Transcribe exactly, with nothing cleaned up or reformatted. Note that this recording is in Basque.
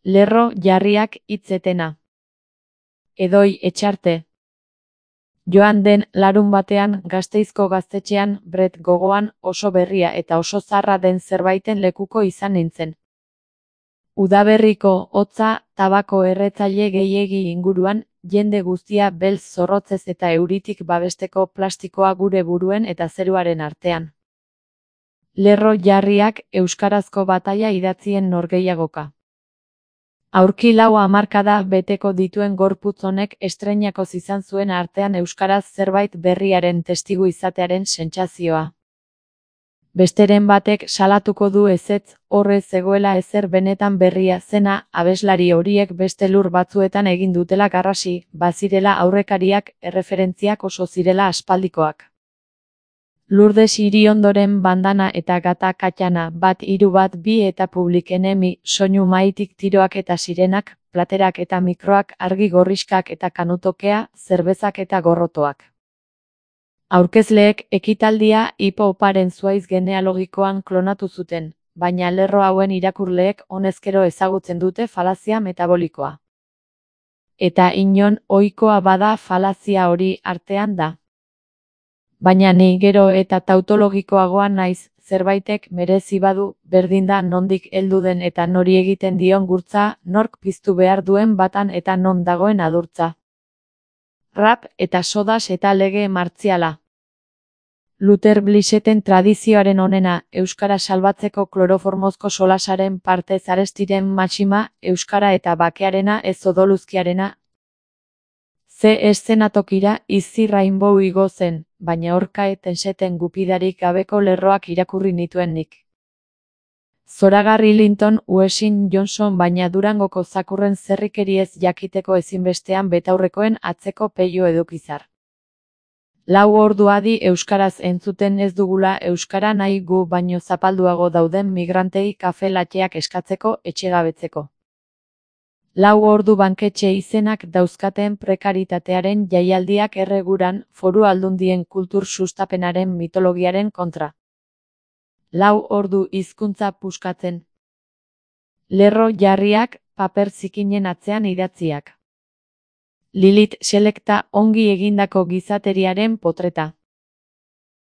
Lerro jarriak hitzetena. Edoi Etxarte. Joan den larun batean Gasteizko gaztetxean Bret gogoan oso berria eta oso zarra den zerbaiten lekuko izan nintzen. Udaberriko hotza tabako erretzaile gehiegi inguruan, jende guztia beltz zorrotzez eta euritik babesteko plastikoa gure buruen eta zeruaren artean. Lerro jarriak euskarazko bataila idatzien norgehiagoka. Aurki lau hamarkada beteko dituen gorputz honek estreinakoz izan zuen artean euskaraz zerbait berriaren testigu izatearen sentsazioa. Besteren batek salatuko du ezetz, horre zegoela ezer benetan berria zena, abeslari horiek beste lur batzuetan egin dutela garrasi, bazirela aurrekariak, erreferentziak oso zirela aspaldikoak. Lourdes Iriondoren bandana eta gata katxana, bat hiru bat bi eta Public Enemy, soinu maitik tiroak eta sirenak, platerak eta mikroak, argi gorriskak eta kanutokea, zerbezak eta gorrotoak. Aurkezleek ekitaldia hip-hoparen zuaiz genealogikoan klonatu zuten, baina lerro hauen irakurleek honezkero ezagutzen dute falazia metabolikoa. Eta inon ohikoa bada falazia hori artean da. Baina ni gero eta tautologikoagoa naiz, zerbaitek merezi badu, berdin da nondik heldu den eta nori egiten dion gurtza, nork piztu behar duen batan eta non dagoen adurtza. Rap eta sodas eta lege martziala. Luther Blisseten tradizioaren onena, euskara salbatzeko kloroformozko solasaren partez arestiren maxima, euskara eta bakearena ez odoluzkiarena. Ze eszenatokira izi Rainbow igo zen, baina orka etenseten gupidarik gabeko lerroak irakurri nituen nik. Zoragarri Linton Uesin Johnson baina Durangoko zakurren zerrikeriez jakiteko ezinbestean betaurrekoen atzeko peio edukizar. Lau ordu adi euskaraz entzuten ez dugula euskara nahi gu baino zapalduago dauden migrantei kafe latteak eskatzeko etxegabetzeko. Lau ordu banketxe izenak dauzkaten prekaritatearen jaialdiak erreguran foru aldundien kultur sustapenaren mitologiaren kontra. Lau ordu hizkuntza puskatzen. Lerro jarriak paper zikinen atzean idatziak. Lilith Selecta ongi egindako gizateriaren potreta.